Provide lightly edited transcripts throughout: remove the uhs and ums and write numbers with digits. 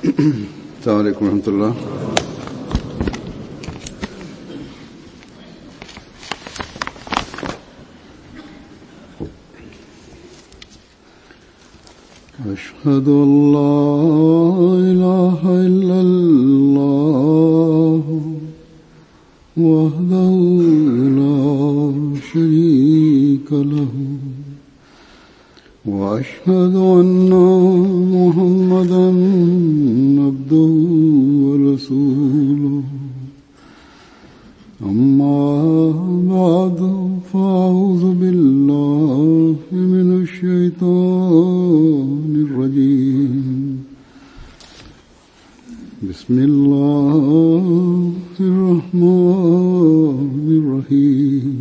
السلام عليكم ورحمة الله. أشهد أن لا إله إلا الله وحده لا شريك له وأشهد أن محمدا عبده ورسوله أما بعد فأعوذ بالله من الشيطان الرجيم بسم الله الرحمن الرحيم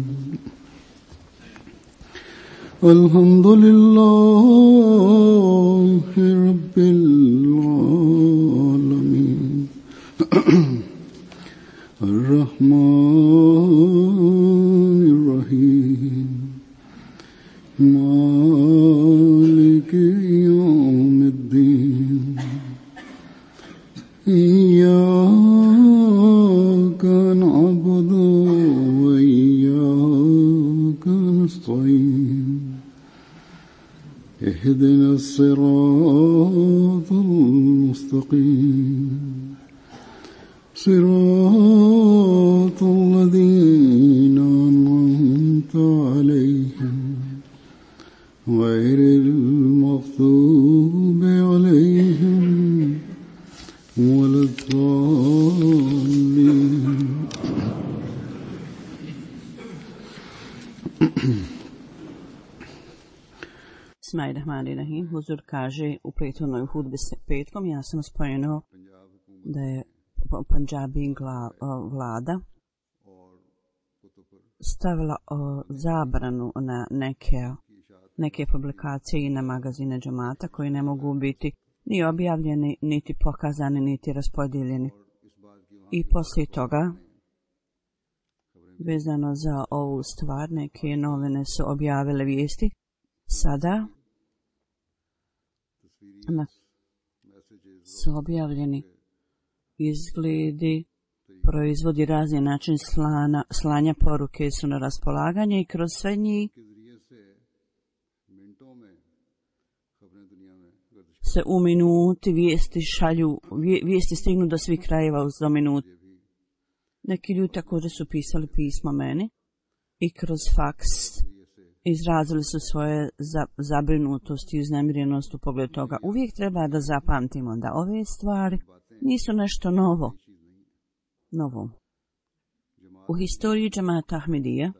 الحمد لله رب العالمين الرحمن الرحيم مالك يوم الدين إياك نعبد وإياك نستعين اهدنا الصراط المستقيم صراط الذين أنعمت عليهم غير المغضوب عليهم ولا الضالين. Bismillahirrahmanirrahim. Huzur kaže u prethodnoj hudbi s petkom, ja sam spomenuo da je Pandžabi vlada stavila zabranu na neke publikacije i na magazine džamata koji ne mogu biti ni objavljeni, niti pokazani, niti raspodijeljeni. I poslije toga, vezano za ovu stvar, neke novine su objavile vijesti. Sada su objavljeni izgledi, proizvodi, razni način slanja poruke su na raspolaganje i kroz sve njih se u minuti vijesti šalju, vijesti stignu do svih krajeva do minuti. Neki ljudi također su pisali pisma meni i kroz faks izrazili su svoje zabrinutost i uznemirenost u pogledu toga. Uvijek treba da zapamtimo da ove stvari nisu nešto novo. U historiji džemata Ahmedija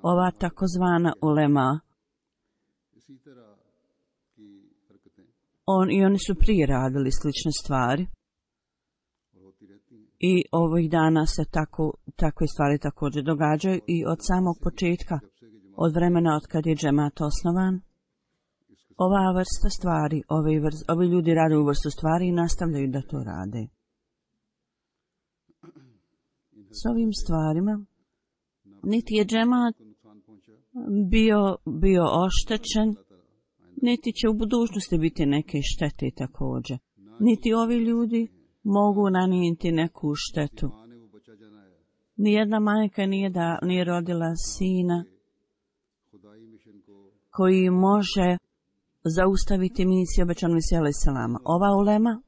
ova takozvana ulema oni su prije radili slične stvari i ovih dana se takve stvari također događaju i od samog početka, od vremena od kad je džemat osnovan, ova vrsta stvari, ovi ljudi rade u vrstu stvari i nastavljaju da to rade. S ovim stvarima niti je džemat bio oštećen, niti će u budućnosti biti neke štete također. Niti ovi ljudi mogu nanijeti neku štetu. Nijedna majka nije rodila sina koji može zaustaviti misiju obećanu misiju alejhi selama. Ova ulema,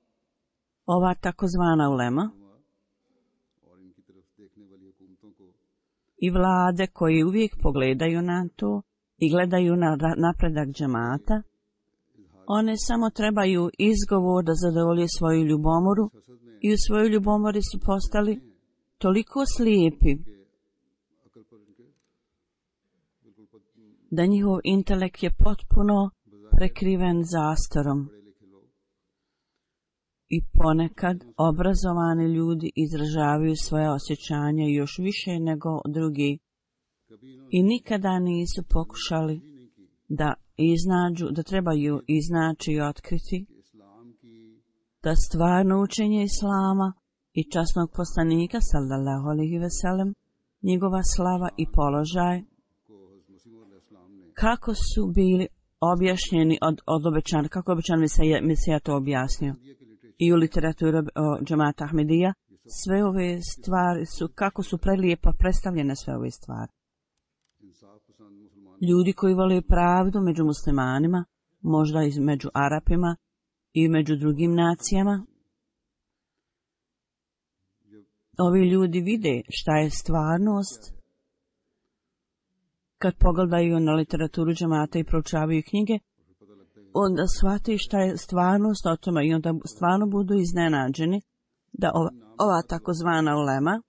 ova takozvana ulema i vlade koji uvijek pogledaju na to i gledaju na napredak džemata, one samo trebaju izgovor da zadovolje svoju ljubomoru i u svojoj ljubomori su postali toliko slijepi da njihov intelekt je potpuno prekriven zastorom. I ponekad obrazovani ljudi izražavaju svoje osjećanja još više nego drugi i nikada nisu pokušali da trebaju iznaći i otkriti da stvarno učenje Islama i časnog poslanika sallallahu alejhi ve sellem, njegova slava i položaj, kako su bili objašnjeni od obećanja, kako je obećan Mesija to objasnio. I u literaturi džemata Ahmedija sve ove stvari su, kako su prelijepo predstavljene sve ove stvari. Ljudi koji vole pravdu među muslimanima, možda i među Arapima i među drugim nacijama, ovi ljudi vide šta je stvarnost kad pogledaju na literaturu džemata i proučavaju knjige, onda shvate šta je stvarnost o tome i onda stvarno budu iznenađeni da ova takozvana ulema,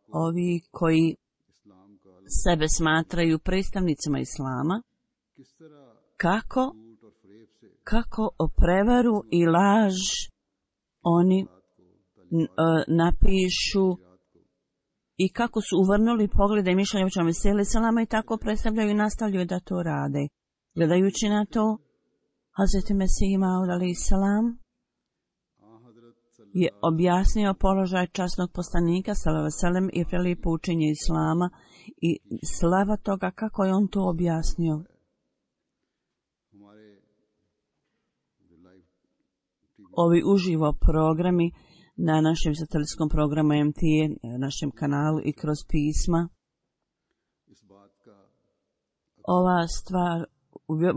ovi koji sebe smatraju predstavnicima islama, kako o prevaru i laž oni napišu i kako su uvrnuli poglede i mišljenja obećanog Mesija selama i tako predstavljaju i nastavljaju da to rade. Gledajući na to, Hazreti Mesih Maud alejhi selam je objasnio položaj časnog poslanika sallallahu alejhi ve sellem i prelijepo učenje islama i slava toga kako je on to objasnio. Ovi uživo programi na našem satelitskom programu MTA, našem kanalu i kroz pisma. Ova stvar,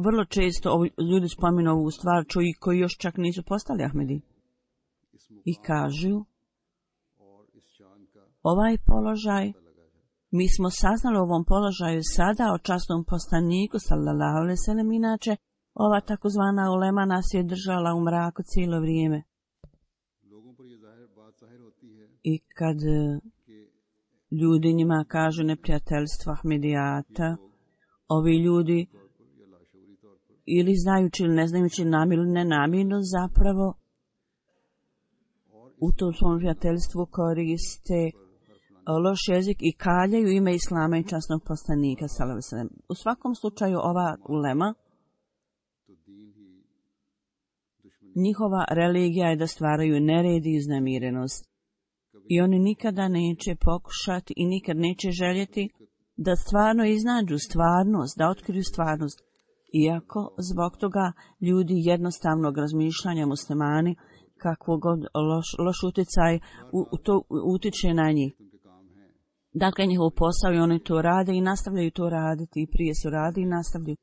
vrlo često ljudi spominu ovu stvar, čuju koji još čak nisu postali Ahmedi. I kažu, ovaj položaj, mi smo saznali o ovom položaju sada o časnom poslaniku, sallallahu alejhi ve sellem, inače ova takozvana ulema nas je držala u mraku cijelo vrijeme. I kad ljudi njima kažu neprijateljstvo Ahmedijata, ovi ljudi ili znajući ili ne znajući namjerno ili nenamjerno zapravo u tom svom prijateljstvu koriste loš jezik i kaljaju ime islama i časnog poslanika sallallahu alejhi ve sellem. U svakom slučaju ova ulema, njihova religija je da stvaraju nered i uznemirenost. I oni nikada neće pokušati i nikad neće željeti da stvarno iznađu stvarnost, da otkriju stvarnost. Iako zbog toga ljudi jednostavnog razmišljanja muslimani, kakvog god loš utjecaj to utiče na njih. Dakle, njihov posao i oni to rade i nastavljaju to raditi i prije su radi i nastavljaju.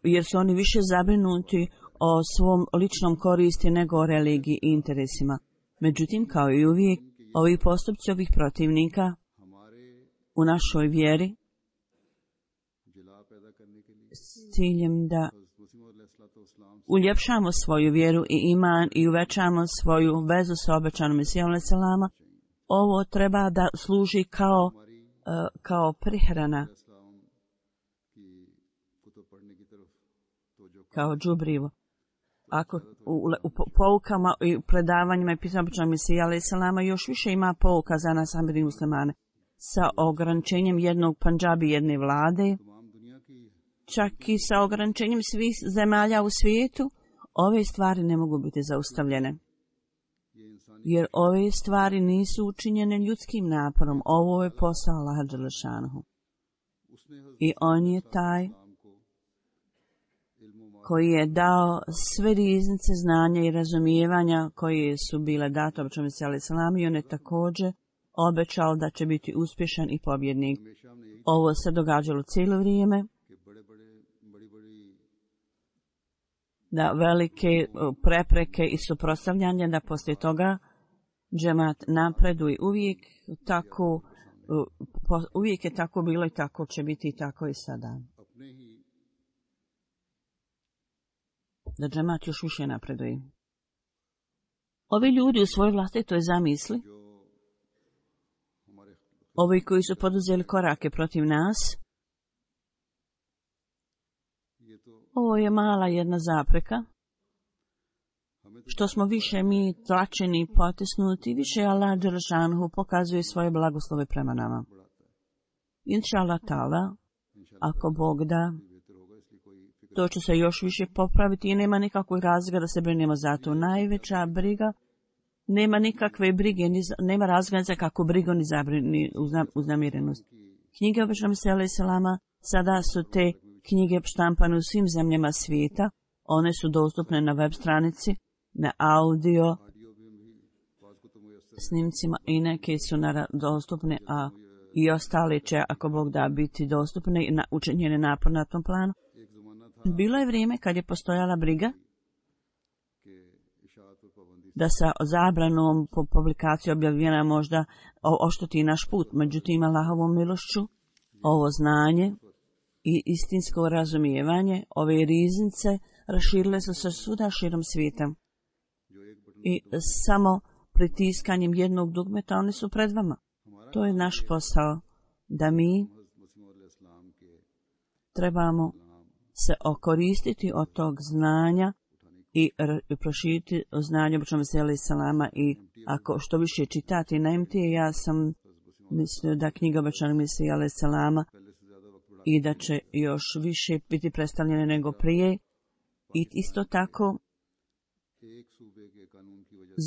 Jer su oni više zabrinuti o svom ličnom koristi nego o religiji i interesima. Međutim, kao i uvijek, ovi postupci ovih protivnika u našoj vjeri s ciljem da uljepšamo svoju vjeru i iman i uvećamo svoju vezu sa obećanom Mesijom alejhi selama, ovo treba da služi kao prihrana, kao džubrivo. Ako u poukama i predavanjima i pisama obećanog Mesija alejhi selama još više ima pouka za nas Ahmedi muslimane sa ograničenjem jednog Pandžabi, jedne vlade, čak i sa ograničenjem svih zemalja u svijetu, ove stvari ne mogu biti zaustavljene. Jer ove stvari nisu učinjene ljudskim naporom. Ovo je posao Allaha dželle šanehu. I on je taj koji je dao sve riznice znanja i razumijevanja koje su bile date obećanom Mesiju alejhi selam i on je također obećao da će biti uspješan i pobjednik. Ovo se događalo cijelo vrijeme. Da velike prepreke i suprotstavljanja, da poslije toga džemat napreduje uvijek je tako bilo i tako će biti i tako i sada. Da džemat još više napreduje. Ovi ljudi u svojoj vlastitoj zamisli, ovi koji su poduzeli korake protiv nas, ovo je mala jedna zapreka. Što smo više mi tlačeni, potisnuti, više Allah dželle šanehu pokazuje svoje blagoslove prema nama. Inša Allah ta'ala, ako Bog da, to će se još više popraviti i nema nikakvog razloga da se brinemo za to. Najveća briga, nema nikakve brige, nema razloga za kakvu brigu ni uznamirenost. Knjiga obećanog Mesija alejhi selama Sada su te knjige štampane u svim zemljama svijeta. One su dostupne na web stranici, na audio snimcima i neke su dostupne, a i ostale će, ako Bog da, biti dostupne i učinjene napor na tom planu. Bilo je vrijeme kad je postojala briga da sa zabranom po publikaciji objavljena možda ošteti naš put. Međutim, Allahovom milošću, ovo znanje i istinsko razumijevanje, ove riznice raširile su se svuda širom svijeta. I samo pritiskanjem jednog dugmeta oni su pred vama. To je naš posao, da mi trebamo se okoristiti od tog znanja i proširiti znanje običnom veseli salama. I ako što više čitati na MT, ja sam mislio da knjiga običnom veseli salama i da će još više biti predstavljene nego prije. I isto tako,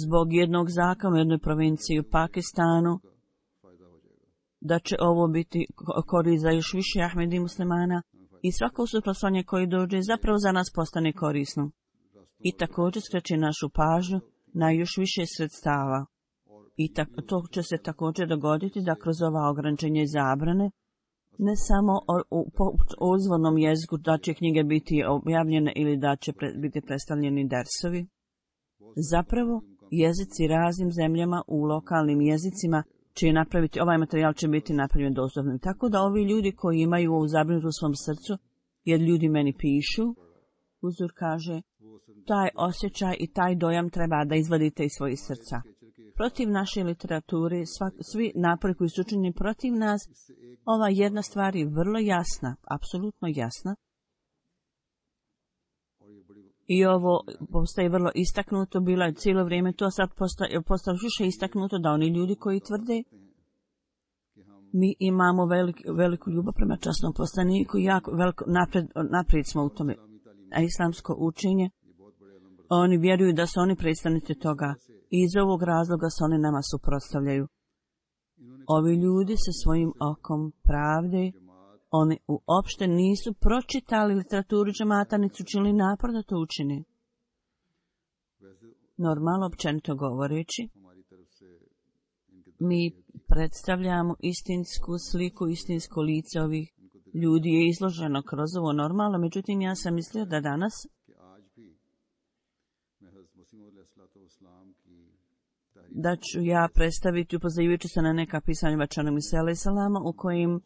zbog jednog zakona u jednoj provinciji u Pakistanu, da će ovo biti korist za još više Ahmedi muslimana i svako suprotstavljanje koji dođe zapravo za nas postane korisno. I također skreće našu pažnju na još više sredstava. I to će se također dogoditi da kroz ova ograničenja i zabrane, ne samo u izvornom jeziku da će knjige biti objavljene ili da će biti predstavljeni dersovi. Zapravo, jezici raznim zemljama u lokalnim jezicima će napraviti, ovaj materijal će biti napravljen dostupnim. Tako da ovi ljudi koji imaju ovu zabrinutost u svom srcu, jer ljudi meni pišu, Huzur kaže, taj osjećaj i taj dojam treba da izvadite iz svojih srca. Protiv naše literature, svi napori koji su učinjeni protiv nas, ova jedna stvar je vrlo jasna, apsolutno jasna. I ovo postaje vrlo istaknuto, bilo je cijelo vrijeme to, sad postaje više istaknuto da oni ljudi koji tvrde mi imamo veliku ljubav prema časnom poslaniku, jako naprijed smo u tome, a islamsko učenje, oni vjeruju da su oni predstavnici toga i iz ovog razloga se oni nama suprotstavljaju. Ovi ljudi sa svojim okom pravde, oni uopšte nisu pročitali literaturu džemata, niti su učinili napor da to učine. Normalno, općenito govoreći, mi predstavljamo istinsku sliku, istinsko lice ovih ljudi je izloženo kroz ovo normalno, međutim ja sam mislio da danas da ću ja predstaviti upoznajujući se na neka pisanja Bačanom Isa alaih salama u kojim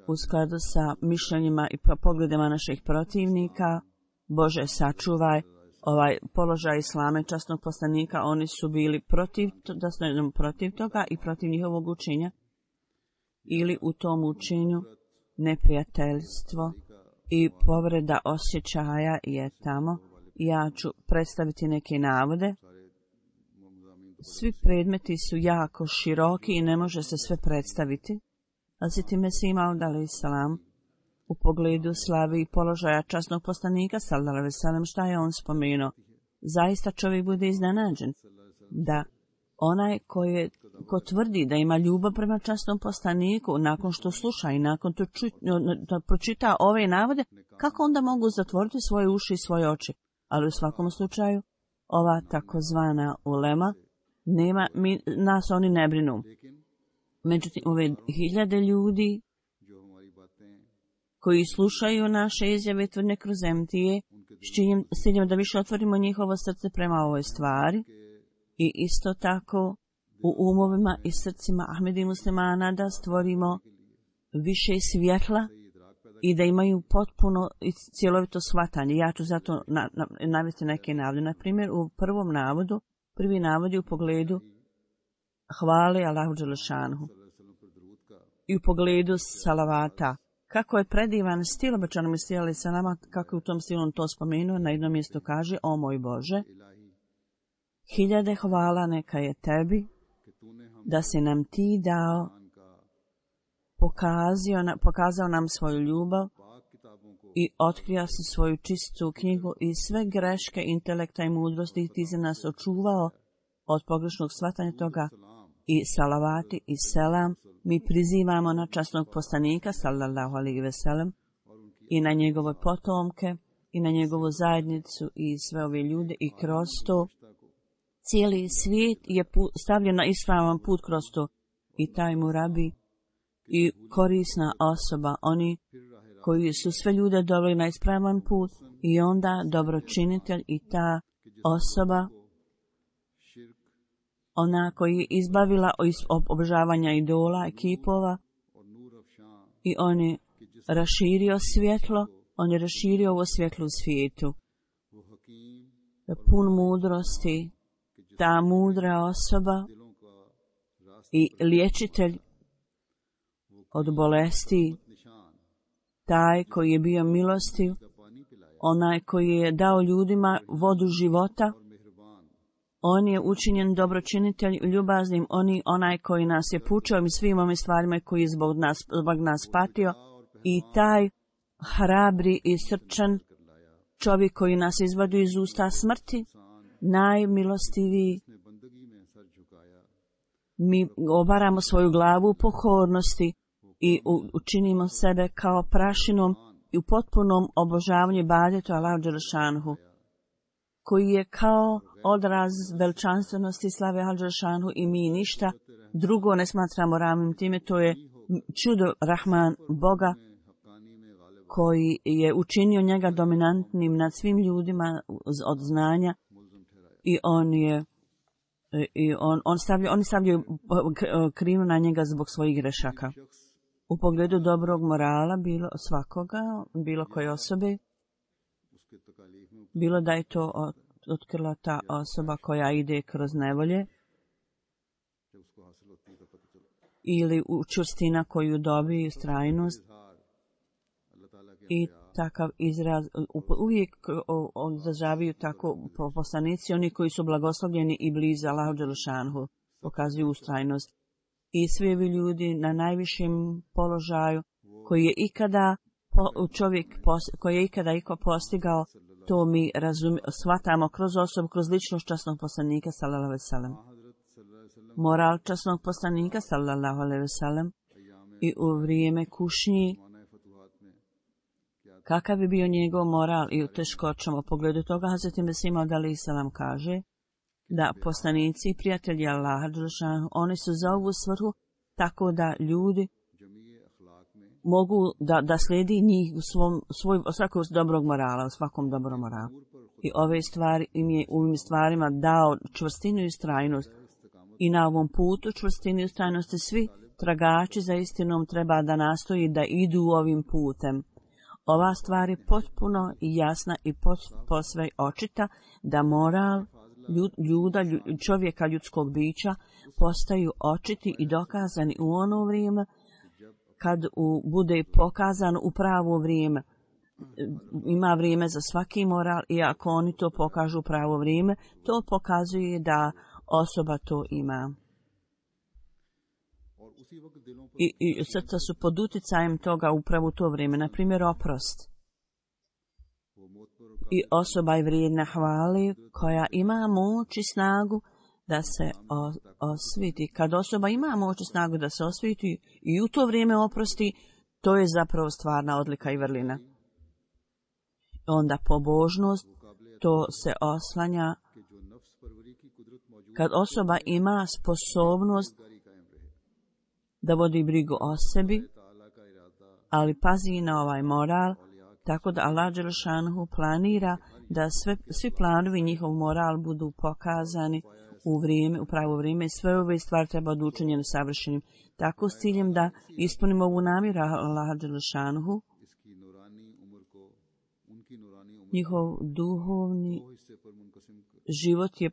u skladu sa mišljenjima i pogledima naših protivnika, Bože sačuvaj, ovaj položaj islama i časnog poslanika, oni su bili protiv toga i protiv njihovog učenja, ili u tom učenju neprijateljstvo i povreda osjećaja je tamo. Ja ću predstaviti neke navode. Svi predmeti su jako široki i ne može se sve predstaviti. Hazreti Mesih Maud alaih salam u pogledu slavi i položaja časnog poslanika sallallahu alejhi ve sellem, šta je on spomenuo? Zaista čovjek bude iznenađen da onaj ko tvrdi da ima ljubav prema časnom poslaniku, nakon što sluša i nakon to pročita ove navode, kako onda mogu zatvoriti svoje uši i svoje oči? Ali u svakom slučaju, ova takozvana ulema, nas oni ne brinu. Međutim, ove hiljade ljudi koji slušaju naše izjave tvrdne kroz MTA, s ciljem da više otvorimo njihovo srce prema ovoj stvari i isto tako u umovima i srcima Ahmedi muslimana da stvorimo više svjetla i da imaju potpuno i cjelovito shvatanje. Ja ću zato navesti neke navode. Na primjer, u prvom navodu, prvi navod je u pogledu hvale Allahu dželešanhu i u pogledu salavata. Kako je predivan stil obećanom istijali sa nama, kako je u tom stilu on to spomenuo, na jednom mjestu kaže, o moj Bože, hiljade hvala neka je tebi, da si nam ti dao, pokazao nam svoju ljubav i otkrio si svoju čistu knjigu i sve greške intelekta i mudrosti ti si nas očuvao od pogrešnog shvatanja toga i salavati i selam mi prizivamo na časnog poslanika sallallahu alejhi ve sellem i na njegove potomke i na njegovu zajednicu i sve ove ljude i kroz to cijeli svijet je stavljen na ispravan put kroz to i taj murabi i korisna osoba, oni koji su sve ljude doveli na ispravan put i onda dobročinitelj i ta osoba, ona koji je izbavila obožavanja idola i kipova i on je raširio svjetlo, on je raširio ovo svjetlo u svijetu. Pun mudrosti, ta mudra osoba i liječitelj od bolesti, taj koji je bio milostiv, onaj koji je dao ljudima vodu života, on je učinjen dobročinitelj ljubaznim, onaj koji nas je pučao i svim ovim stvarima koji je zbog nas patio i taj hrabri i srčan čovjek koji nas izvadi iz usta smrti, najmilostiviji. Mi obaramo svoju glavu u pokornosti i učinimo sebe kao prašinom i u potpunom obožavanju ibadetu Allahu dželešanhu, koji je kao odraz veličanstvenosti slave Allahu dželešanhu i mi ništa drugo ne smatramo ravnim time. To je čudo Rahman Boga koji je učinio njega dominantnim nad svim ljudima od znanja i oni stavljaju krivnju na njega zbog svojih grešaka. U pogledu dobrog morala bilo svakoga, bilo koje osobe, bilo da je to otkrila ta osoba koja ide kroz nevolje ili učvrstina koju dobije, ustrajnost i takav izraz, uvijek izražavaju tako poslanici, oni koji su blagoslovljeni i blizu Allahu dželešanhu, pokazuju ustrajnost. I svi ovi ljudi na najvišem položaju koji je ikada iko postigao, to mi shvatamo kroz osobu, kroz ličnost časnog poslanika sallallahu alejhi ve sellem. Moral časnog poslanika sallallahu alejhi ve sellem i u vrijeme kušnji, kakav je bio njegov moral i u teškoćama. U pogledu toga Hazreti Mesih Maud alejhi selam kaže da poslanici i prijatelji Allaha dželešanhu, oni su za ovu svrhu tako da ljudi mogu da slijedi njih u svakog dobrog morala, u svakom dobrom moralu. I ove stvari u ovim stvarima dao čvrstinu i ustrajnost. I na ovom putu čvrstinu i ustrajnosti svi tragači za istinom treba da nastoji da idu ovim putem. Ova stvar je potpuno i jasna i posve očita da moral čovjeka, ljudskog bića, postaju očiti i dokazani u ono vrijeme kad bude pokazan u pravo vrijeme. Ima vrijeme za svaki moral i ako oni to pokažu u pravo vrijeme, to pokazuje da osoba to ima. I srca su pod uticajem toga upravo u to vrijeme, na primjer oprost. I osoba je vrijedna hvale koja ima moć i snagu da se osviti. Kad osoba ima moć i snagu da se osviti i u to vrijeme oprosti, to je zapravo stvarna odlika i vrlina. Onda pobožnost, to se oslanja kad osoba ima sposobnost da vodi brigu o sebi, ali pazi na ovaj moral, tako da Allah dželešanhu planira da svi planovi njihov moral budu pokazani u pravo vrijeme i sve ove stvari treba da učinjene savršenim. Tako s ciljem da ispunimo ovu namjeru Allah dželešanhu, njihov duhovni život je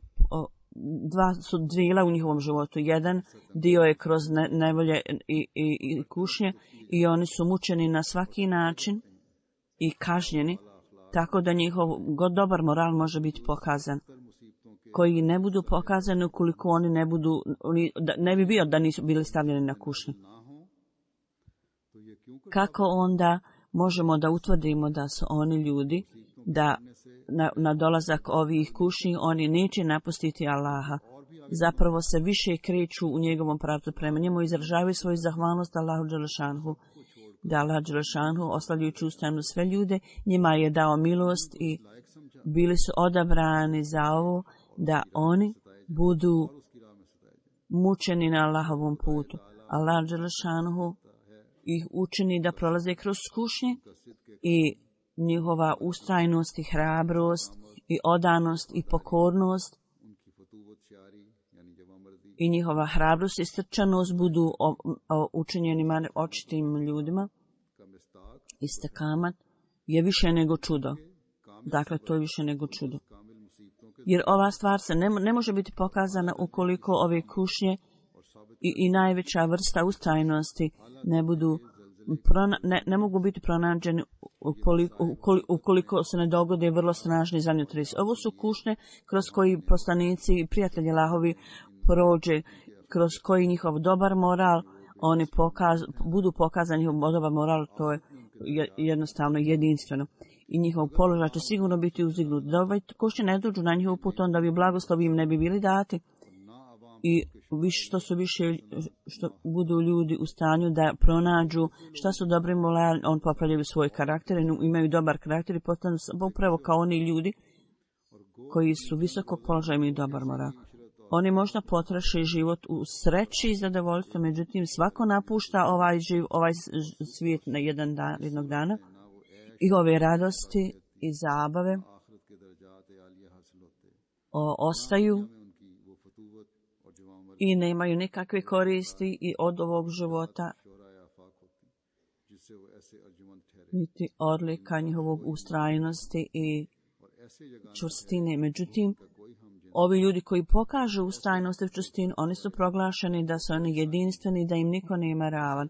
dva su dijela u njihovom životu. Jedan dio je kroz nevolje i kušnje i oni su mučeni na svaki način i kažnjeni, tako da njihov dobar moral može biti pokazan. Koji ne budu pokazani ukoliko oni ne bi bio da nisu bili stavljeni na kušnju. Kako onda možemo da utvrdimo da su oni ljudi, da na dolazak ovih kušnji oni neće napustiti Allaha zapravo se više kreću u njegovom pravcu prema njemu i izražavaju svoju zahvalnost Allahu dželešanhu. Da Allah dželešanhu, oslavljujući ustrajno sve ljude, njima je dao milost i bili su odabrani za ovo da oni budu mučeni na Allahovom putu. Allah dželešanhu ih učini da prolaze kroz kušnje i njihova ustrajnost i hrabrost i odanost i pokornost i njihova hrabrost i srčanost budu učinjeni očitim ljudima. Istekamat je više nego čudo. Dakle, to je više nego čudo. Jer ova stvar se ne može biti pokazana ukoliko ove kušnje i najveća vrsta ustrajnosti ne mogu biti pronađeni ukoliko se ne dogode vrlo snažni zemljotresi. Ovo su kušnje kroz koji poslanici i prijatelji Allahovi prođe, kroz koji njihov dobar moral, oni budu pokazani njihov dobar moral, to je jednostavno jedinstveno. I njihov položaj će sigurno biti uzdignut. Da ovaj kušnje ne dođu na njihov put, onda bi blagoslovi im ne bi bili dati. I što budu ljudi u stanju da pronađu šta su dobri morali, on popravljaju svoj karakter, imaju dobar karakter i postanu upravo kao oni ljudi koji su visokog položaja, imaju dobar moral. Oni možda potroše život u sreći i zadovoljstvu, međutim svako napušta ovaj svijet na jednog dana i ove radosti i zabave ostaju i nemaju nikakve koristi i od ovog života niti odlika njihovog ustrajnosti i čvrstine. Međutim, ovi ljudi koji pokažu ustrajnost i čvrstinu, oni su proglašeni da su oni jedinstveni, da im niko nema ravan.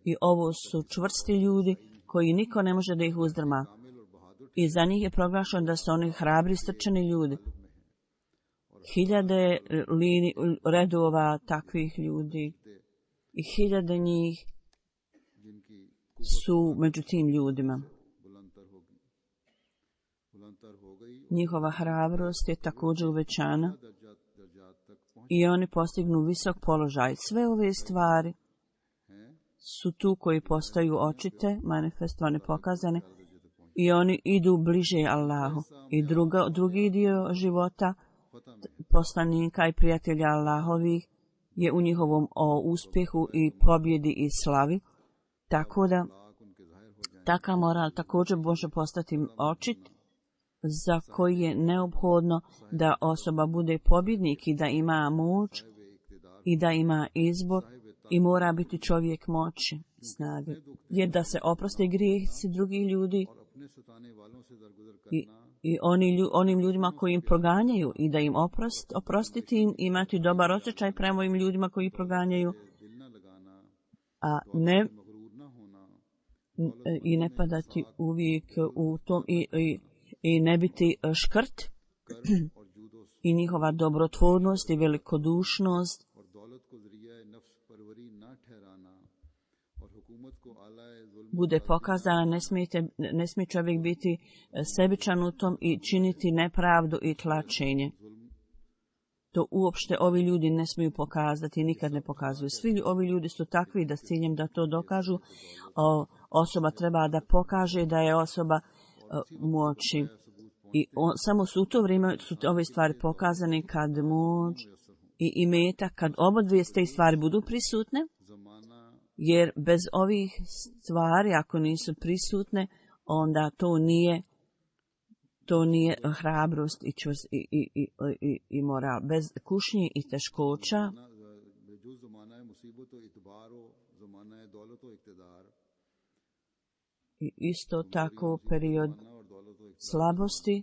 I ovo su čvrsti ljudi koji niko ne može da ih uzdrma. I za njih je proglašeno da su oni hrabri, strčani ljudi. Hiljade redova takvih ljudi i hiljade njih su među tim ljudima. Njihova hrabrost je također uvećana i oni postignu visok položaj. Sve ove stvari su tu koji postaju očite, manifestovane, pokazane i oni idu bliže Allahu. I drugi dio života poslanika i prijatelja Allahovih je u njihovom uspjehu i pobjedi i slavi. Tako da takav moral također može postati očit za koji je neophodno da osoba bude pobjednik i da ima moć i da ima izbor i mora biti čovjek moći, snage. Jer da se oproste grijesi drugih ljudi i onim ljudima koji im proganjaju i da im oprostiti im, imati dobar osjećaj prema ovim ljudima koji proganjaju, a ne padati uvijek u tom i ne biti škrt i njihova dobrotvornost i velikodušnost bude pokazana. Ne smije čovjek biti sebičan u tom i činiti nepravdu i tlačenje. To uopšte ovi ljudi ne smiju pokazati i nikad ne pokazuju. Svi ovi ljudi su takvi da s ciljem da to dokažu, osoba treba da pokaže da je osoba moći. I samo su u to vrijeme su ove stvari pokazane kad moć i imetak, kad obodvije te stvari budu prisutne, jer bez ovih stvari, ako nisu prisutne, onda to nije hrabrost i moral. Bez kušnji i teškoća i isto tako period slabosti,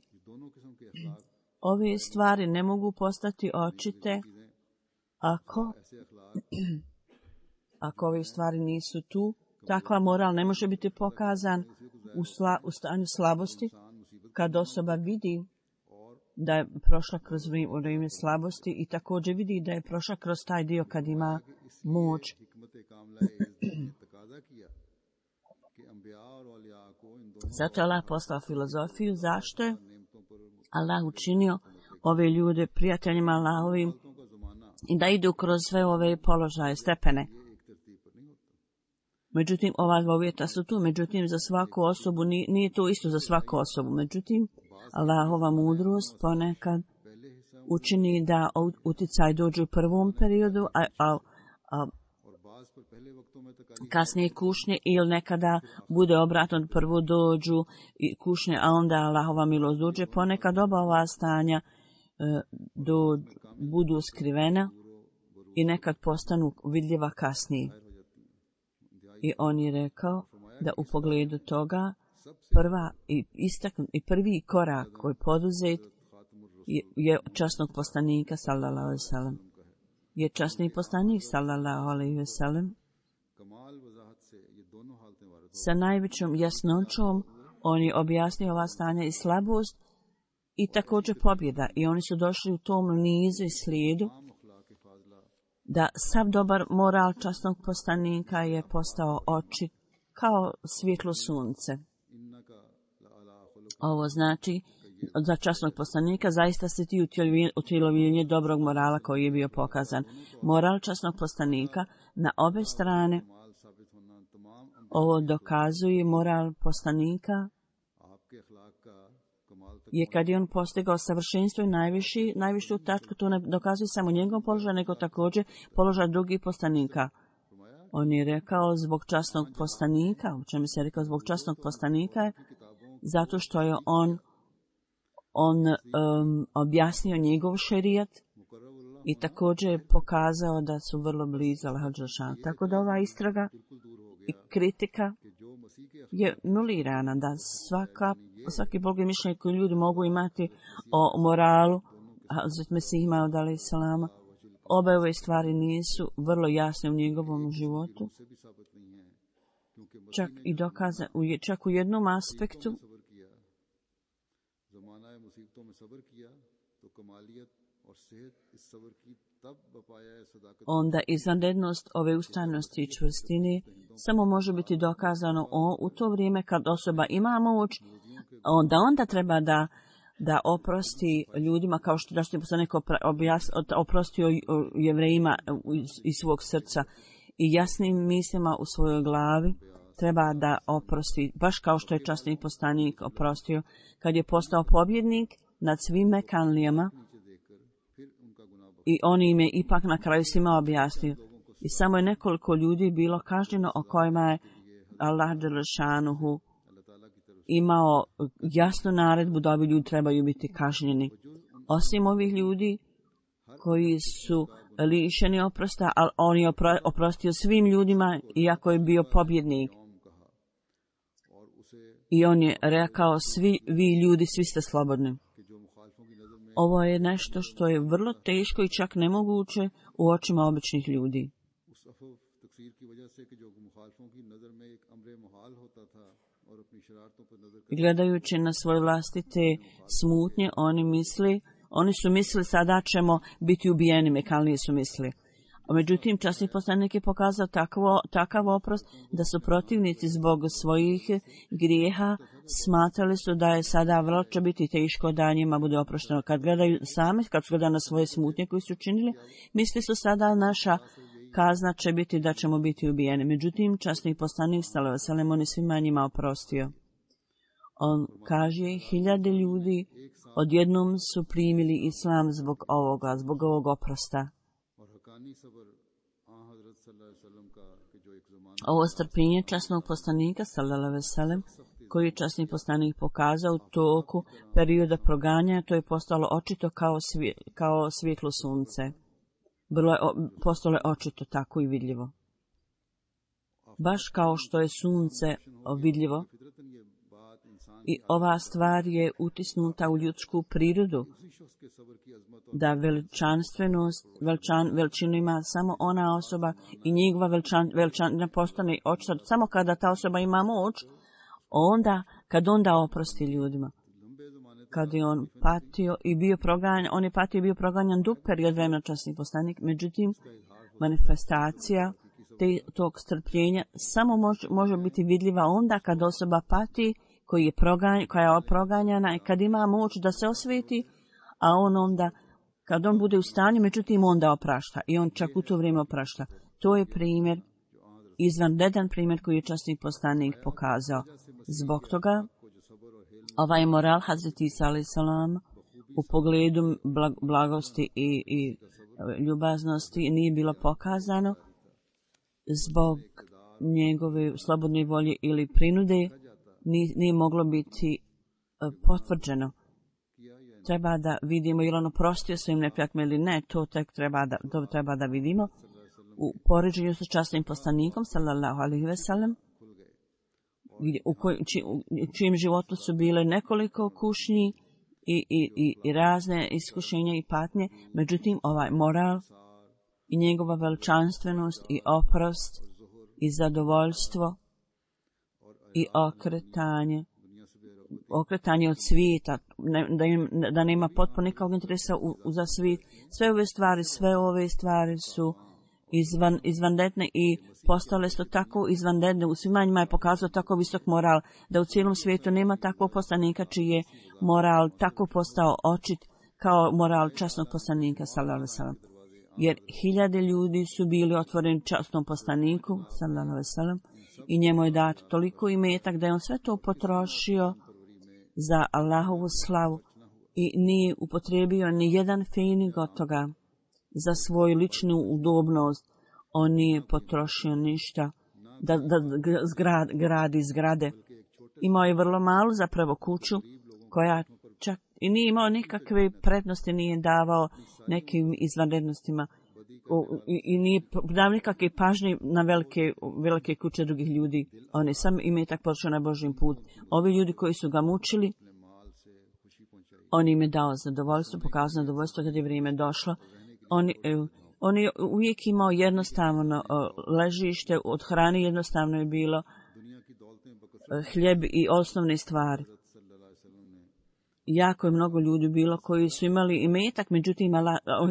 ove stvari ne mogu postati očite ako ove stvari nisu tu. Takva moral ne može biti pokazan u stanju slabosti. Kad osoba vidi da je prošla kroz vrijeme slabosti i također vidi da je prošla kroz taj dio kad ima moć. Zato je Allah poslao filozofiju. Zašto je Allah učinio ove ljude prijateljima Allahovim i da idu kroz sve ove položaje, stepene. Međutim, ova dva uvjeta su tu, međutim, za svaku osobu, nije to isto za svaku osobu. Međutim, Allahova mudrost ponekad učini da uticaj dođe u prvom periodu, a kasnije kušnje, ili nekada bude obratno, prvo dođu kušnje, a onda Allahova milost dođe. Ponekad oba ova stanja budu skrivena i nekad postanu vidljiva kasnije. I on je rekao da u pogledu toga prvi korak koji je poduzet je časnog poslanika sallallahu alejhi ve sellem. Je časni poslanik sallallahu alejhi ve sellem sa najvećom jasnoćom on je objasnio ova stanja i slabost i također pobjeda. I oni su došli u tom nizu i slijedu da sav dobar moral časnog poslanika je postao očit kao svjetlo sunce. Ovo znači za časnog poslanika zaista se ti utjelovljenje dobrog morala koji je bio pokazan. Moral časnog poslanika na obe strane, ovo dokazuje moral poslanika, je kad je on postigao savršenstvo i najvišu tačku, to ne dokazuje samo njegov položaj, nego također položaj drugih poslanika. On je rekao zbog časnog poslanika, u čemu se je rekao zbog časnog poslanika, zato što je on objasnio njegov šerijat i također je pokazao da su vrlo blizu Allaha dželešanu. Tako da ova istraga i kritika je nulirana, da svaki Bog je mišljenje koje ljudi mogu imati o moralu Hazret Mesih Maud alejhi selama. Obe ove stvari nisu vrlo jasne u njegovom životu. Čak u jednom aspektu onda izvanrednost ove ustrajnosti i čvrstine samo može biti dokazano u to vrijeme kad osoba ima moć, onda treba da oprosti ljudima, kao što da što neko oprostio Jevrejima iz svog srca i jasnim mislima u svojoj glavi, treba da oprosti, baš kao što je časni poslanik oprostio kad je postao pobjednik nad svim Mekanlijama i on im je ipak na kraju svima objasnio. I samo je nekoliko ljudi bilo kažnjeno o kojima je Allah dželešanuhu imao jasnu naredbu da ovi ljudi trebaju biti kažnjeni. Osim ovih ljudi koji su lišeni oprosta, ali on je oprostio svim ljudima iako je bio pobjednik. I on je rekao, svi vi ljudi, svi ste slobodni. Ovo je nešto što je vrlo teško i čak nemoguće u očima običnih ljudi. Gledajući na svoje vlastite smutnje, oni su mislili sada ćemo biti ubijeni, Mekanlije su mislili. Međutim, časni poslanik je pokazao takav oprost da su protivnici zbog svojih grijeha smatrali su da je sada vrlo će biti teško da njima bude oprošteno. Kad su gledali na svoje smutnje koje su činili, misli su sada naša kazna će biti da ćemo biti ubijeni. Međutim, časni poslanik sallallahu alejhi ve sellem on je svima njima oprostio. On kaže, 1000 ljudi odjednom su primili islam zbog ovog oprosta. Ovo strpljenje časnog poslanika sallallahu alejhi ve sellem koji je časni poslanik pokazao u toku perioda proganjanja, to je postalo očito kao svjetlo sunce. Postalo je očito tako i vidljivo. Baš kao što je sunce vidljivo, i ova stvar je utisnuta u ljudsku prirodu, da veličinu ima samo ona osoba i njegova veličina postane očita samo kada ta osoba ima moć, kad onda oprosti ljudima. Kad je on patio i bio proganjan dug period vremena časni poslanik, međutim manifestacija tog strpljenja samo može biti vidljiva onda kad osoba pati, koja je proganjana i kad ima moć da se osveti, a on onda, kad on bude u stanju, međutim onda oprašta i on čak u to vrijeme oprašta. To je primjer, izvanredan primjer koji je časni poslanik pokazao. Zbog toga, ovaj moral Hazreti Isa alejhi selam u pogledu blagosti i ljubaznosti nije bilo pokazano zbog njegove slobodne volje ili prinude, nije moglo biti potvrđeno. Treba da vidimo ili on oprostio svojim neprijateljima ili ne, to treba da vidimo. U poređenju sa časnim poslanikom, sallallahu alejhi ve sellem, u čijem životu su bile nekoliko kušnji i razne iskušenja i patnje, međutim ovaj moral i njegova veličanstvenost i oprost i zadovoljstvo i okretanje od svijeta, da nema potpuno nikakvog interesa za svijet. Sve ove stvari su izvanredne i postale su tako izvanredne. U svima njima je pokazao tako visok moral da u cijelom svijetu nema takvog poslanika čiji je moral tako postao očit kao moral časnog poslanika sallallahu alejhi ve sellem. Jer hiljade ljudi su bili otvoreni časnom poslaniku sallallahu alejhi ve sellem i njemu je dat toliko imetak da je on sve to potrošio za Allahovu slavu i nije upotrijebio ni jedan fenig od toga za svoju ličnu udobnost. On nije potrošio ništa da gradi zgrade. Imao je vrlo malu zapravo kuću koja čak i nije imao nikakve prednosti, nije davao nekim izvanrednostima i nije dao nikakve pažnje na velike kuće drugih ljudi. On je sam imetak potrošio na Božji put. Ovi ljudi koji su ga mučili, on im je dao zadovoljstvo, pokazao zadovoljstvo kad je vrijeme došlo. On je uvijek imao jednostavno ležište, od hrane jednostavno je bilo hljeb i osnovne stvari. Jako je mnogo ljudi bilo koji su imali imetak, međutim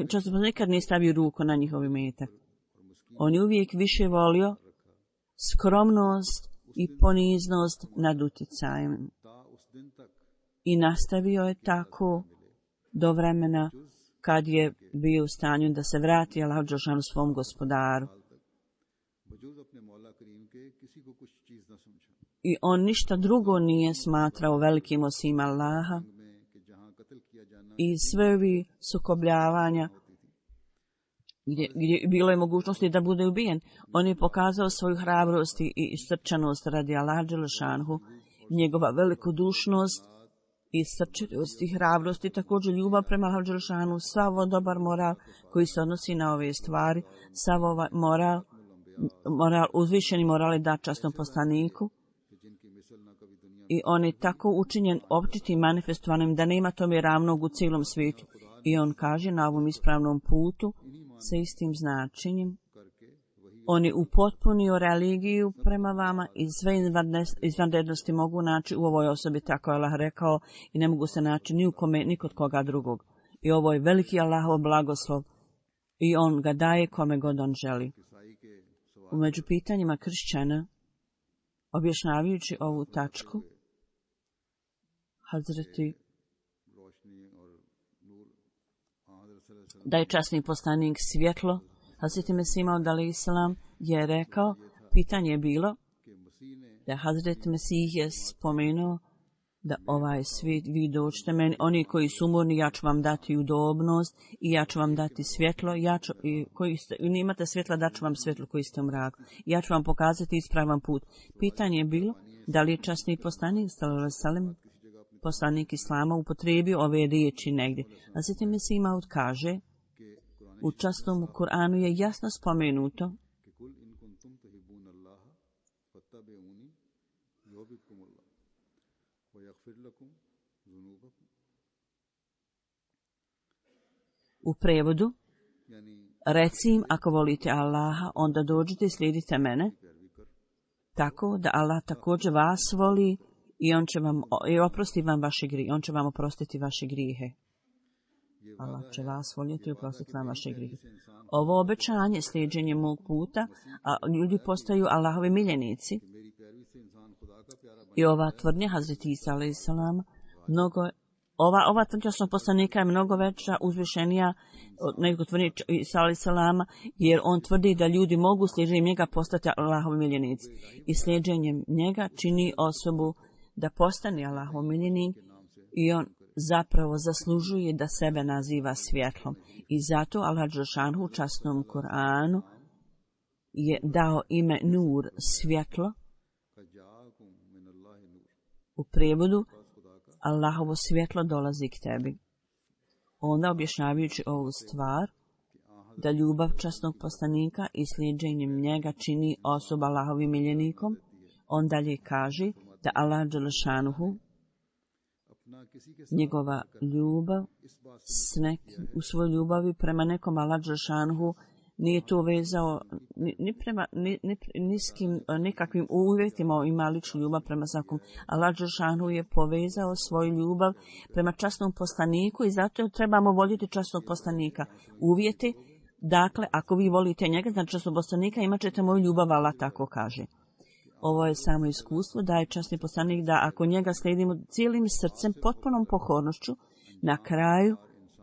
često nikad nije stavio ruku na njihov imetak. On je uvijek više volio skromnost i poniznost nad utjecajem. I nastavio je tako do vremena kad je bio u stanju da se vrati Allahu dželešanu svom gospodaru. I on ništa drugo nije smatrao velikim osim Allaha. I sve ovi sukobljavanja gdje bilo je mogućnosti da bude ubijen, on je pokazao svoju hrabrost i srčanost radi Allaha dželešanu, njegova velikodušnost i srčanost i hrabrost i također ljubav prema Allahu dželešanu, sav dobar moral koji se odnosi na ove stvari, sav ovaj moral, uzvišeni moral je dat časnom poslaniku. I on je tako učinjen općitim manifestovanjem da nema tome ravnog u cijelom svijetu. I on kaže na ovom ispravnom putu sa istim značenjem. On je upotpunio religiju prema vama i sve izvanrednosti mogu naći u ovoj osobi, tako je Allah rekao, i ne mogu se naći ni kod koga drugog. I ovo je veliki Allahov blagoslov i on ga daje kome god on želi. Među pitanjima kršćana, objašnjavajući ovu tačku, Hazreti da je časni poslanik svjetlo, Hazreti Mesih Maud alejhi selam je rekao, pitanje je bilo da Hazreti Mesih je spomenuo da ovaj svijet, vi dođete meni, oni koji su umorni, ja ću vam dati udobnost i ja ću vam dati svjetlo, koji imate svjetla, dat ću vam svjetlo koji ste u mraku. Ja ću vam pokazati ispravan put. Pitanje je bilo da li je časni poslanik, sallallahu alejhi ve sellem, poslanik Islama, upotrijebio ove riječi negdje. A zatim Mesih Maud kaže, u časnom Kur'anu je jasno spomenuto u prevodu, reci im, ako volite Allaha, onda dođite i slijedite mene, tako da Allah također vas voli i on će vam oprosti vam vaše grijehe, on će vam oprostiti vaše grijehe. Allah će vas voljeti i oprostiti vam vaše grijehe. Ovo obećanje, slijeđenje mog puta, a ljudi postaju Allahovi miljenici. I ova tvrdnja Hazreti Isa alejhi selam, mnogo ova časnog poslanika je mnogo veća, uzvišenija nego tvrdi Isa alejhi selama, jer on tvrdi da ljudi mogu slijedženjem njega postati Allahovi miljenici. I slijedženjem njega čini osobu da postane Allahov miljenik i on zapravo zaslužuje da sebe naziva svjetlom. I zato Allah dželešanu u časnom Kur'anu je dao ime Nur, svjetlo, u prijevodu Allahovo svjetlo dolazi k tebi. Onda objašnjavajući ovu stvar, da ljubav časnog poslanika i slijedženjem njega čini osoba Allahovim miljenikom, on dalje kaže da Allah dželešanuhu njegova ljubav u svojoj ljubavi prema nekom Allah dželešanuhu nije to vezao ni prema niskim nikakvim uvjetima, ima ličnu ljubav prema svakom. Allah dželešanuhu je povezao svoju ljubav prema časnom poslaniku i zato trebamo voljeti časnog poslanika. Uvjeti, dakle, ako vi volite njega, znači časnog poslanika, imat ćete moju ljubav, Allah tako kaže. Ovo je samo iskustvo da je časni poslanik, da ako njega slijedimo cijelim srcem, potpunom pokornošću, na kraju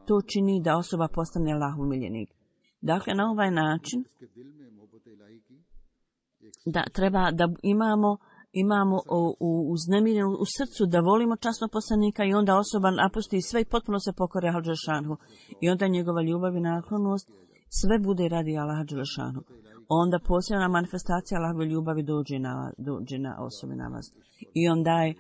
to čini da osoba postane Allahov miljenik. Dakle, na ovaj način da treba da imamo uznemirenu u srcu da volimo časnog poslanika i onda osoba napusti sve i potpuno se pokore Allahu dželešanu. I onda njegova ljubav i naklonost sve bude radi Allaha dželešanu. Onda posebna manifestacija Allahove ljubavi dođe na osobi na vas. I on daje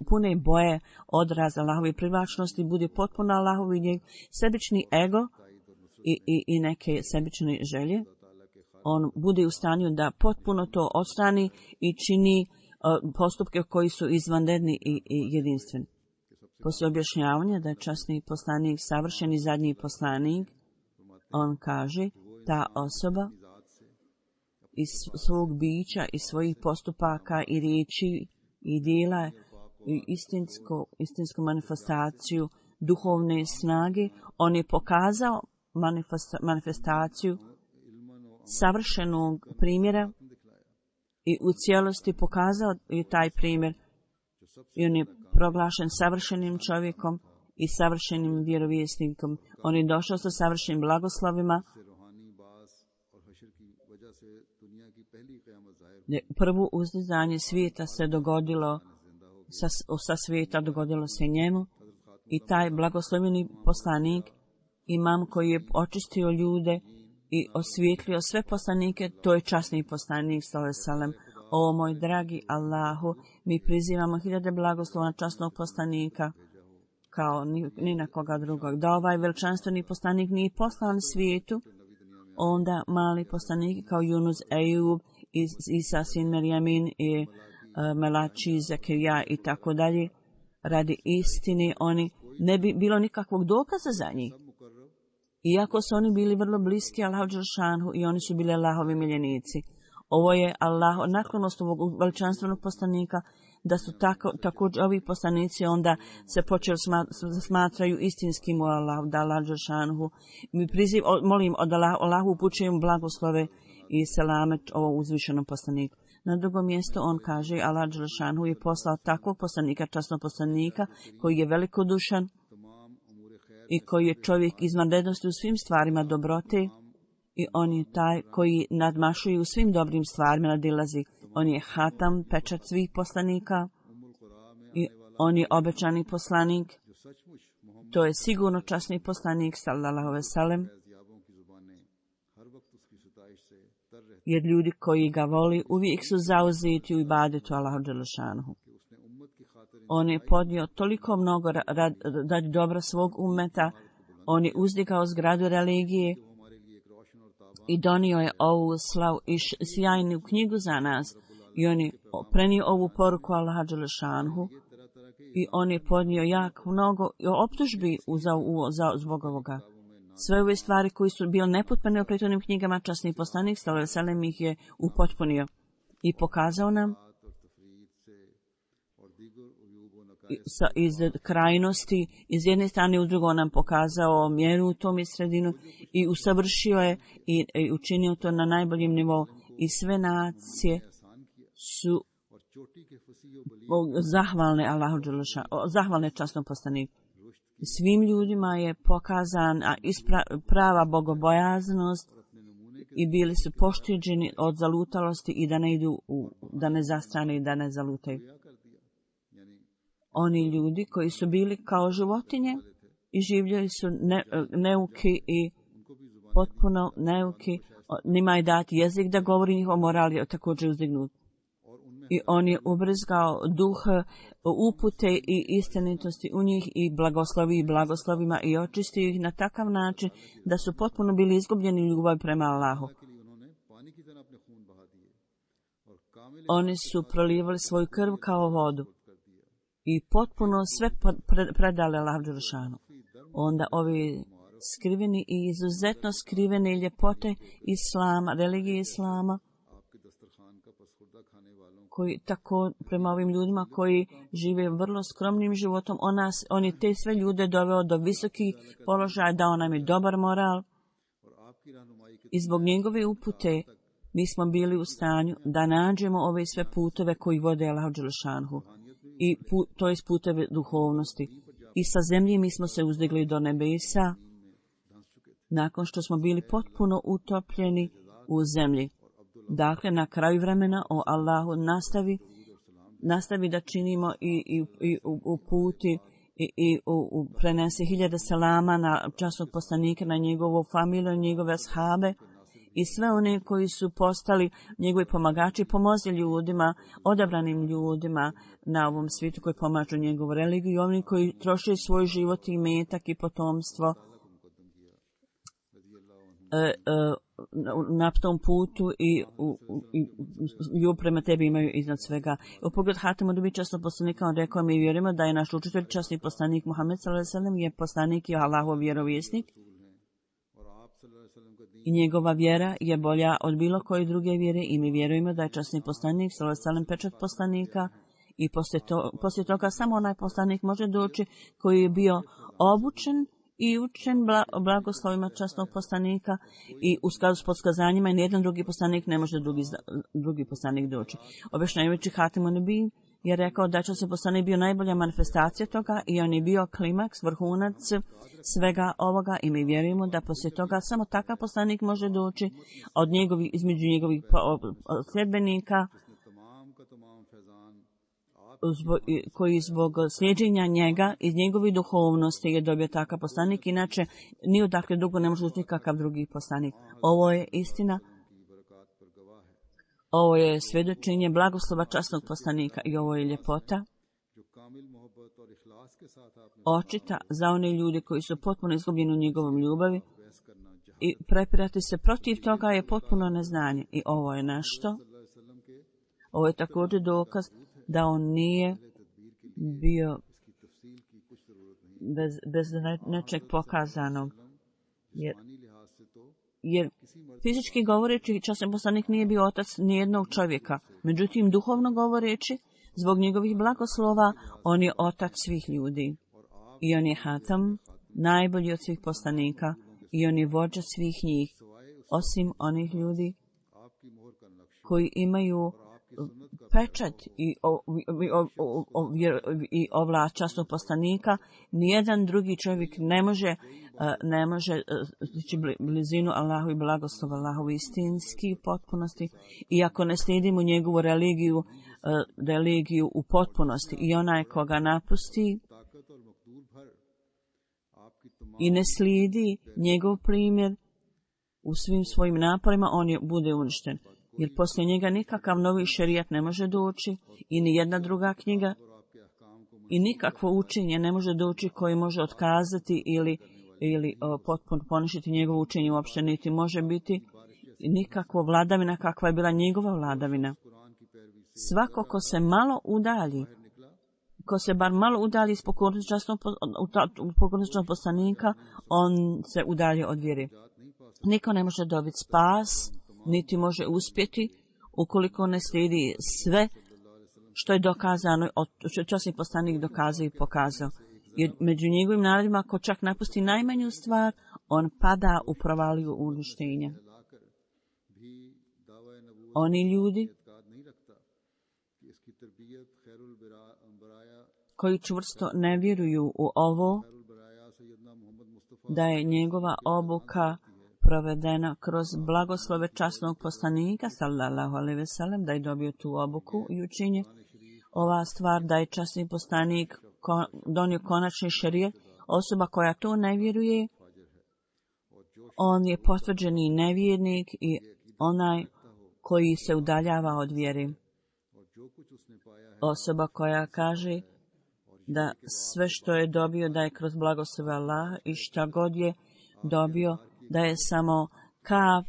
pune boje odraz Allahove privlačnosti, bude potpuno Allahovi sebični ego i neke sebične želje. On bude u stanju da potpuno to odstrani i čini postupke koji su izvanredni i jedinstveni. Poslije objašnjavanja da je časni poslanik savršeni zadnji poslanik, on kaže ta osoba iz svog bića i svojih postupaka i riječi i djela i istinsku manifestaciju duhovne snage, on je pokazao manifestaciju savršenog primjera i u cijelosti pokazao je taj primjer i on je proglašen savršenim čovjekom i savršenim vjerovjesnikom. On je došao sa savršenim blagoslovima. Prvo uzdizanje svijeta se dogodilo, sa svijeta dogodilo se njemu i taj blagosloveni poslanik, imam koji je očistio ljude i osvijetlio sve poslanike, to je časni poslanik sallallahu alejhi ve sellem. O moj dragi Allahu, mi prizivamo hiljade blagoslova na časnog poslanika kao ni na koga drugog. Da ovaj veličanstveni poslanik nije poslan svijetu, onda mali poslanik kao Yunus, Ejub, Isa sin Merjamin i Melači, Zakirija i tako dalje, radi istine oni ne bi bilo nikakvog dokaza za njih. Iako su oni bili vrlo bliski Allahu dželešanu i oni su bili Allahovi miljenici. Ovo je naklonost ovog veličanstvenog poslanika, da su također ovi poslanici onda se počeli smatraju istinskim u Allahu, da Allah dželešanu. Mi molim od Allahu upućujem blagoslove i selamet ovom uzvišenom poslaniku. Na drugom mjestu on kaže, Allah dželešanu je poslao takvog poslanika, časnog poslanika, koji je velikodušan i koji je čovjek izvanrednosti u svim stvarima dobrote i on je taj koji nadmašuje u svim dobrim stvarima, nadilazi. On je hatam, pečat svih poslanika i on je obećani poslanik. To je sigurno časni poslanik, sallallahu alejhi ve sellem, jer ljudi koji ga voli uvijek su zauzeti u ibadetu Allahu dželešanuhu. On je podnio toliko mnogo radi dobra svog ummeta, on je uzdigao zgradu religije i donio je ovu slavu i sjajnu knjigu za nas i on je prenio ovu poruku Allaha dželešanuhu i on je podnio jako mnogo optužbi zbog ovoga. Sve ove stvari koji su bile nepotpune u prethodnim knjigama, časni poslanik sallallahu alejhi ve sellem ih je upotpunio i pokazao nam iz krajnosti, iz jedne strane u drugo nam pokazao mjeru u tom sredinu i usavršio je i učinio to na najboljem nivou. I sve nacije su zahvalne Allahu dželešanu, zahvalne časnom poslaniku. Svim ljudima je pokazan prava bogobojaznost i bili su pošteđeni od zalutalosti i da ne idu, da ne zastrane i da ne zalutaju. Oni ljudi koji su bili kao životinje i življeli su neuki i potpuno neuki, njima je dati jezik da govori, njihov moral je također uzdignut. I on je ubrizgao duh upute i istinitosti u njih i blagoslovi blagoslovima i očistio ih na takav način da su potpuno bili izgubljeni ljubav prema Allahu. Oni su prolivali svoju krv kao vodu i potpuno sve predali Allahu dželešanu. Onda ovi skriveni i izuzetno skrivene ljepote Islama, religije Islama, koji tako prema ovim ljudima koji žive vrlo skromnim životom, on je te sve ljude doveo do visokih položaja, dao nam je dobar moral i zbog njegove upute mi smo bili u stanju da nađemo ove sve putove koji vode Allahu dželešanhu i to je puteve duhovnosti. I sa zemlje mi smo se uzdigli do nebesa nakon što smo bili potpuno utopljeni u zemlji. Dakle, na kraju vremena o Allahu nastavi da činimo i uputi i prenese hiljade selama na časnog poslanika, na njegovu familiju, njegove ashabe i sve one koji su postali njegovi pomagači, pomozi ljudima, odabranim ljudima na ovom svijetu koji pomažu njegovu religiju i oni koji troše svoj život i metak i potomstvo na tom putu i prema tebi imaju iznad svega. U pogled Hatema Nubi časnog poslanika on rekao, mi vjerujemo da je naš učitelj časni poslanik Muhammed s.a.v. je poslanik i Allahov vjerovjesnik i njegova vjera je bolja od bilo koje druge vjere i mi vjerujemo da je časni poslanik s.a.v. pečat poslanika i poslije toga samo onaj poslanik može doći koji je bio obučen i učen blagoslovima časnog poslanika i u skladu s podskazanjima i nijedan drugi poslanik ne može drugi poslanik doći. Objašnjavajući Hatem Nubi je rekao da će se poslanik bio najbolja manifestacija toga i on je bio klimaks, vrhunac svega ovoga i mi vjerujemo da poslije toga samo takav poslanik može doći između njegovih sljedbenika koji zbog slijeđenja njega iz njegove duhovnosti je dobio takav poslanik, inače ni odakle dugo ne može ući kakav drugi poslanik. Ovo je istina, ovo je svjedočenje blagoslova časnog poslanika i ovo je ljepota očita za one ljude koji su potpuno izgubljeni u njegovom ljubavi i prepirati se protiv toga je potpuno neznanje. I ovo je nešto, ovo je također dokaz da on nije bio bez nečeg pokazanog. Jer fizički govoreći, časni poslanik nije bio otac nijednog čovjeka. Međutim, duhovno govoreći, zbog njegovih blagoslova, on je otac svih ljudi. I on je Hatam, najbolji od svih poslanika, i on je vođa svih njih, osim onih ljudi koji imaju pečat i ovlast časnog poslanika. Nijedan drugi čovjek ne može stići blizinu Allahu i blagoslova Allahu istinski u potpunosti, iako ne slijedimo njegovu religiju u potpunosti. I onaj koga napusti i ne slijedi njegov primjer u svim svojim naporima, on bude uništen. Jer poslije njega nikakav novi šerijat ne može doći i ni jedna druga knjiga i nikakvo učenje ne može doći koji može otkazati ili potpuno poništiti njegovo učenje, uopšte niti može biti nikakva vladavina kakva je bila njegova vladavina. Svako ko se malo udalji, ko se bar malo udalji iz pokornosti časnog poslanika, on se udalje od vjere. Niko ne može dobiti spas, niti može uspjeti ukoliko ne slijedi sve što je dokazano, što je časni poslanik dokazao i pokazao. Jer među njegovim narodima, ko čak napusti najmanju stvar, on pada u provaliju uništenja. Oni ljudi koji čvrsto ne vjeruju u ovo, da je njegova obuka provedena kroz blagoslove časnog poslanika, sallallahu alejhi ve sellem, da je dobio tu obuku i učenje. Ova stvar da je časni poslanik donio konačni šerijet, osoba koja to ne vjeruje, on je potvrđeni nevjernik i onaj koji se udaljava od vjere. Osoba koja kaže da sve što je dobio da je kroz blagoslove Allaha i šta god je dobio da je samo kap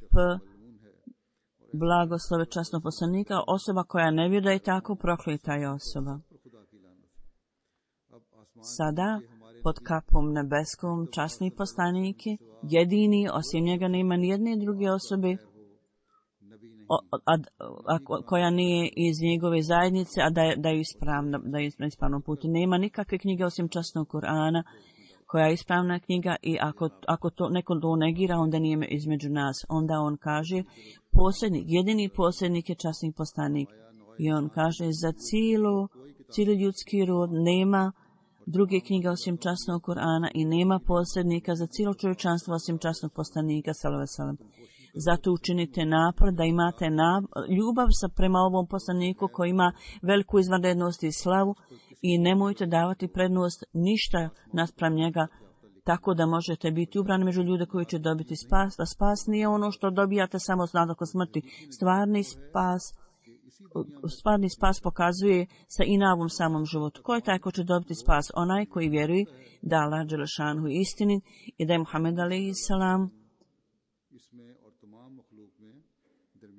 blagoslove časnog poslanika, osoba koja ne vjeruje da je tako, prokleta je osoba. Sada pod kapom nebeskom časni poslanik je jedini, osim njega nema nijedne druge osobe koja nije iz njegove zajednice, a da je na ispravnom putu. Nema nikakve knjige osim časnog Kur'ana koja je ispravna knjiga i ako to neko to negira, onda nije između nas. Onda on kaže, jedini posrednik je časni poslanik. I on kaže, za cijeli ljudski rod nema druge knjige osim časnog Kur'ana i nema posrednika za cijelo čovječanstvo osim časnog poslanika, sallallahu alejhi ve sellem. Zato učinite napor da imate ljubav prema ovom poslaniku koji ima veliku izvanrednost i slavu i nemojte davati prednost ništa naspram njega, tako da možete biti ubrani među ljude koji će dobiti spas. Da spas nije ono što dobijate samo nakon smrti. Stvarni spas pokazuje sa inavom samom životu. Ko je taj ko će dobiti spas? Onaj koji vjeruje da Allah dželešanu je istinit i da je Muhammed alejhi salam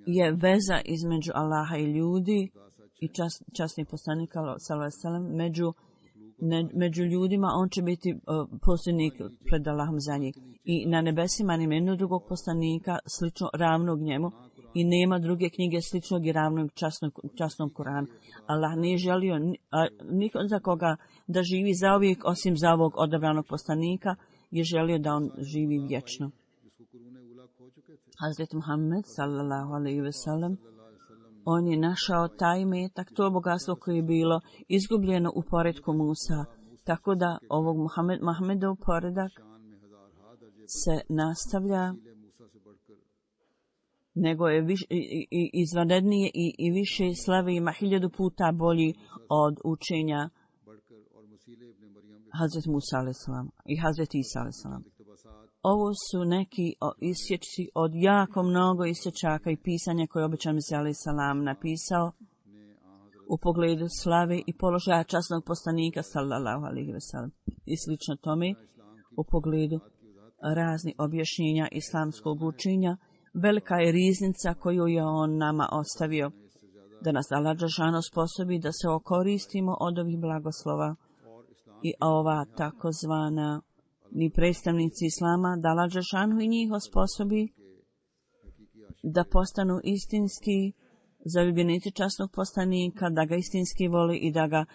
je veza između Allaha i ljudi i časni poslanik sallallahu alejhi ve sellem među ljudima. On će biti posljednik pred Allahom za njih. I na nebesima nema jednog drugog poslanika slično ravnog njemu i nema druge knjige sličnog i ravnog časnom Kur'anu. Allah nije želio nikog za koga da živi zauvijek osim za ovog odabranog poslanika, je želio da on živi vječno. Hazret Muhammed sallallahu alejhi ve sellem, on je našao taj imetak, to bogatstvo koje je bilo izgubljeno u poretku Musa, tako da ovog Muhammedov poredak se nastavlja, nego je izvanrednije i više slave, ima 1000 puta bolji od učenja Hazret Musa alejhi salam i Hazret Isa alejhi salam. Ovo su neki isječci od jako mnogo isječaka i pisanja koje je obećan Mesija alejhi salam napisao u pogledu slave i položaja časnog poslanika sallallahu alejhi ve sellem i slično tome u pogledu raznih objašnjenja islamskog učenja. Velika je riznica koju je on nama ostavio, da nas Allah dželešanu sposobi da se okoristimo od ovih blagoslova i ova takozvana ni predstavnici islama, da Allah dželešanu i njih osposobi da postanu istinski zaljubljenici časnog poslanika, da ga istinski voli i da ga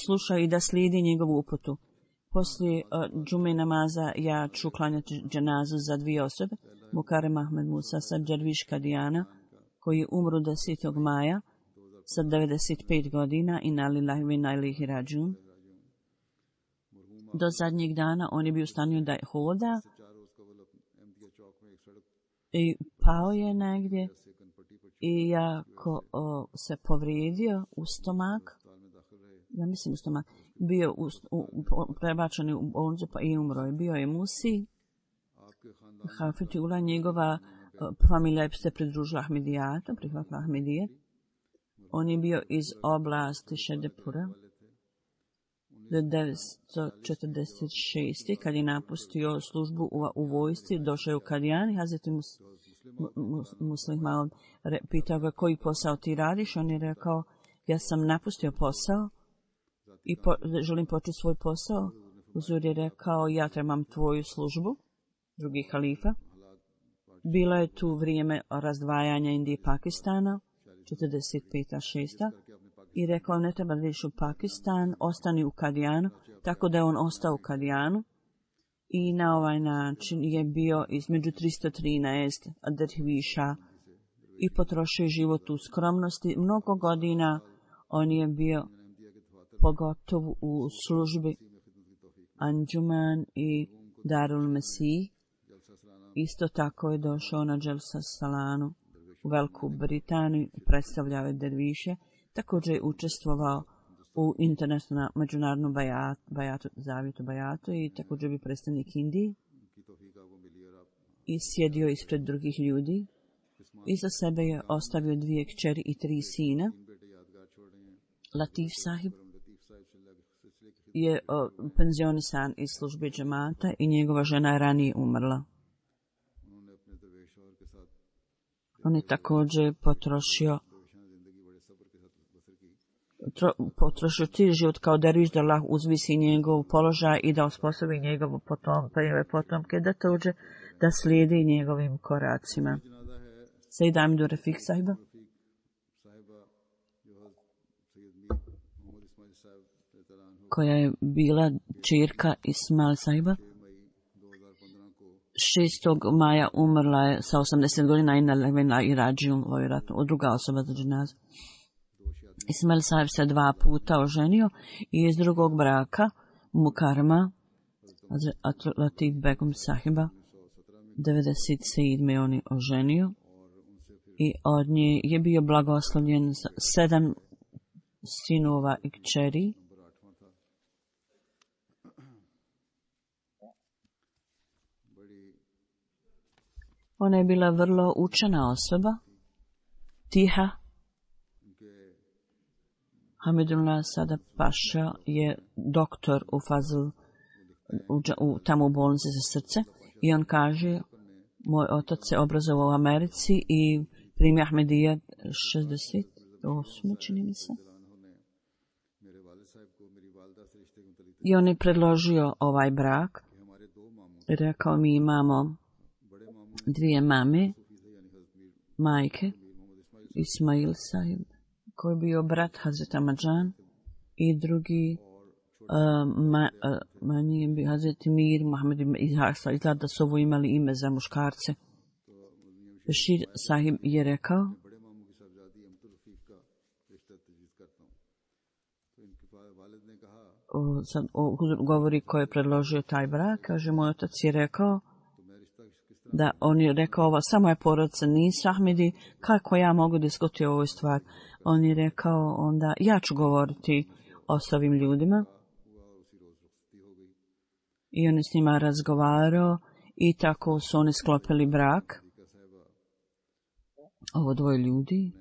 slušaju i da slijedi njegovu uputu. Poslije džume namaza ja ću klanjati dženazu za 2 osobe, Mukarrem Ahmed Musa Sadžarviš Kadijana, koji je umro 10. maja sa 95 godina i inna lillahi wa inna ilaihi rađun. Do zadnjeg dana on je bio u stanju da hoda i pao je negdje i jako se povrijedio u stomak, ja mislim u stomak, bio prebačen u bolnicu pa i umro je. Bio je Musi Hafetullah, njegova familija se pridružila Ahmedijatu, prihvatila Ahmedije. On je bio iz oblasti Šedepura do 1946. kad je napustio službu u vojsci, došao je u Kadijani. Hazreti Muslim Maud pitao ga koji posao ti radiš. On je rekao, ja sam napustio posao i želim početi svoj posao. Uzur je rekao, ja trebam tvoju službu, drugi halifa. Bilo je tu vrijeme razdvajanja Indije i Pakistana, 45-6. I rekao, ne treba da ideš u Pakistan, ostani u Kadijanu, tako da je on ostao u Kadijanu. I na ovaj način je bio između 313 derviša i potrošio život u skromnosti. Mnogo godina On je bio pogotovo u službi Anđuman i Darul Mesih. Isto tako je došao na Dželsa Salanu u Veliku Britaniju, predstavljao je derviše, također je učestvovao u internacionalnom međunarodnom zavjetu Bajatu i također bi predstavnik Indije i sjedio ispred drugih ljudi. Iza sebe je ostavio 2 kćeri i 3 sina. Latif Sahib je penzionisan iz službe džemata i njegova žena je ranije umrla. On je također potrošio cijeli život kao derviš da Allah uzvisi njegov položaj i da osposobi njegov potomke da tođe da slijedi njegovim koracima. Sejda Amidu Rafik Sahiba, koja je bila čirka Ismail Sahiba, 6. maja umrla je sa 80 godina i rađijom, vjerojatno, druga osoba za dženazu. Ismail Sahib se 2 puta oženio i iz drugog braka Mukarama Latif Begum Sahiba 97. on je oženio i od nje je bio blagoslovljen 7 sinova i kćeri. Ona je bila vrlo učena osoba, tiha. Hamidullah Sada Paša je doktor u Fazl, tamo u bolnici za srce, i on kaže, moj otac se obrazovao u Americi i primio Ahmedija 68. čini mi se. I on je predložio ovaj brak. Rekao, mi imamo 2 mame, majke, Ismail Sahib, koji je bio brat Hazreta Mađan, i drugi manji je bio Hazreti Mir, Mohamed Izhasa. Izgleda da su ovo imali ime za muškarce. Bešir Sahib je rekao, govori ko je predložio taj brak, kaže, moj otac je rekao, da on je rekao, ovo samo je porodica, nisu Ahmedi, kako ja mogu diskutirati o ovoj stvari? On je rekao, onda ja ću govoriti o ovim ljudima. I on je s njima razgovarao i tako su oni sklopili brak. Ovo 2 ljudi.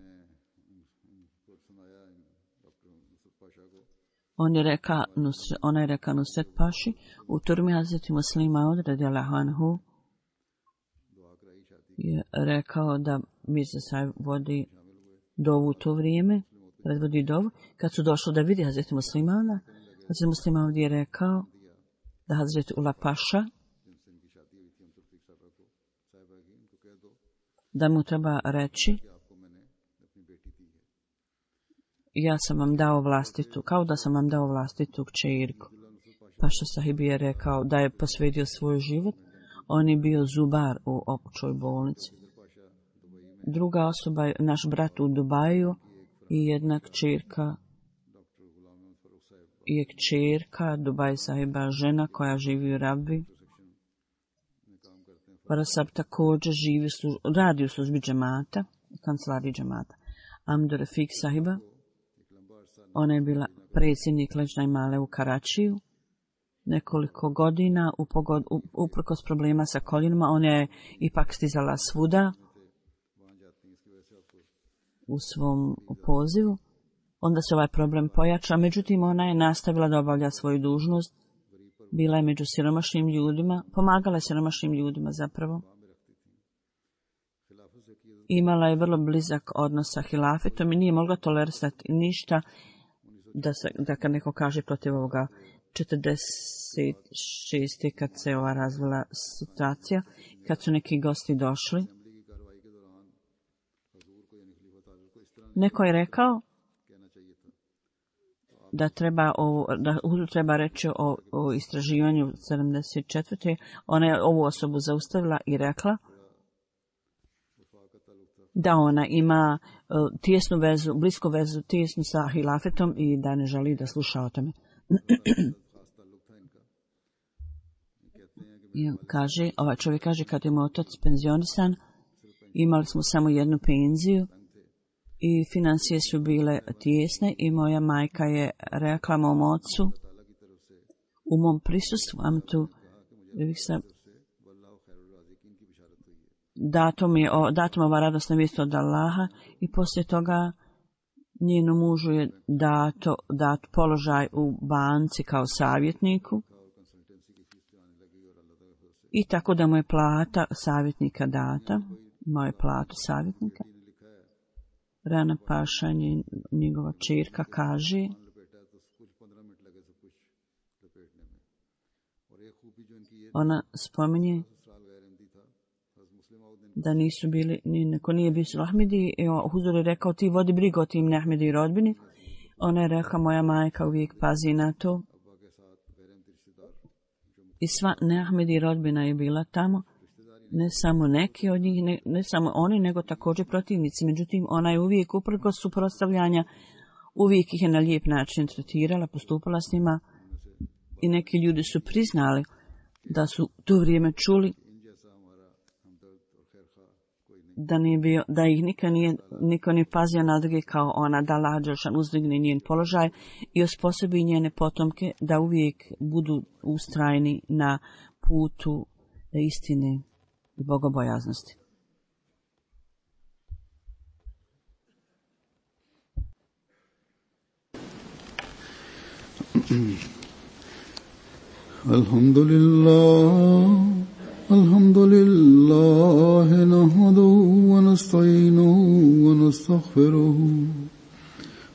Ona je rekao Nusret Paši u turmi Hazreti Muslima od radijallahu anhu je rekao da Mirza Sahib vodi dovu u to vrijeme, predvodi dovu. Kad su došli da vidi Hazreti Muslimana, Hazreti Musliman je rekao da Hazreti Ula Paša da mu treba reći, ja sam vam dao vlastitu, kao da sam vam dao vlastitu kćerku. Paša Sahib je rekao da je posvetio svoj život. On je bio zubar u općoj bolnici. Druga osoba je naš brat u Dubaju i jedna kćerka je kćerka Dubaj Sahiba, žena koja živi u Rabbi. Parasab također radi u službi džemata, kancelariji džemata. Amdur Rafik Sahiba, ona je bila predsjednik Leđna Male u Karačiju. Nekoliko godina, uprkos problema sa koljenima, ona je ipak stizala svuda u svom pozivu. Onda se ovaj problem pojača, međutim ona je nastavila da obavlja svoju dužnost. Bila je među siromašnim ljudima, pomagala je siromašnim ljudima zapravo. Imala je vrlo blizak odnos sa hilafetom i nije mogla tolerisati ništa da kad neko kaže protiv ovoga. 46. kad se ova razvila situacija, kad su neki gosti došli, neko je rekao da treba reći o istraživanju 74. Ona je ovu osobu zaustavila i rekla, da ona ima tijesnu vezu, blisku vezu, tijesnu sa hilafetom i da ne želi da sluša o tome. Kaže, ovaj čovjek kaže, kad je moj otac penzionisan, imali smo samo jednu penziju i financije su bile tijesne i moja majka je rekla mom ocu u mom prisustvu, dato mi ova radosna vijest od Allaha i poslije toga njenom mužu je dat položaj u banci kao savjetniku i tako da mu je plata savjetnika data, moje platu savjetnika. Rana Paša, njegova čirka, kaže ona spominje da nisu bili, neko nije bio Ahmedi, i Huzur je rekao, ti vodi brigu o tim Ahmedi rodbini. Ona je rekla, moja majka uvijek pazi na to. I sva Ahmedi rodbina je bila tamo, ne samo neki od njih, ne samo oni, nego također protivnici. Međutim, ona je uvijek, uprkos suprotstavljanja, uvijek ih je na lijep način tretirala, postupala s njima i neki ljudi su priznali da su to vrijeme čuli da ih niko nije pazio na druge kao ona, da Allah dželešan uzdigne njen položaj i osposobi njene potomke da uvijek budu ustrajni na putu istine i bogobojaznosti. Alhamdulillah nahmaduhu wa nasta'inuhu wa nastaghfiruhu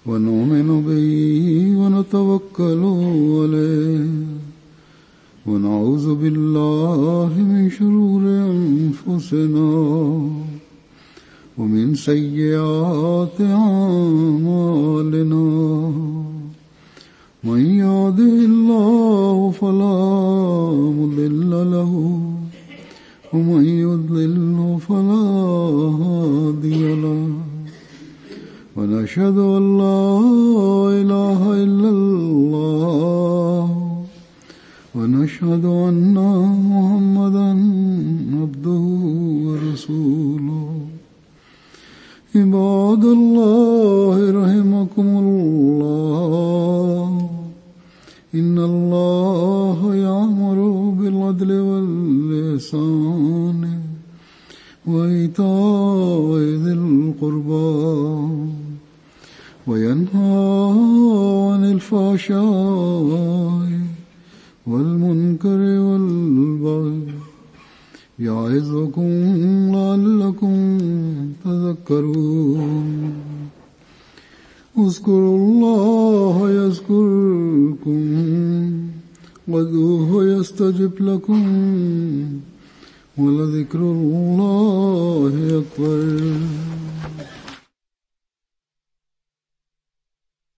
wa nu'minu bihi wa natawakkalu alayhi wa na'udhu billahi min shururi anfusina wa min sayyiati a'malina. Man yahdihillahu fala mudilla lahu ومن يضلل فلا هادي له ونشهد أن لا إله إلا الله ونشهد أن محمدا عبده ورسوله عباد الله رحمكم الله إن الله يأمر بالعدل والإحسان وإيتاء ذي القربى وينهى عن الفحشاء والمنكر والبغي يعظكم لعلكم تذكرون اذكروا الله يذكركم وادعوه يستجب لكم ولذكر الله أكبر.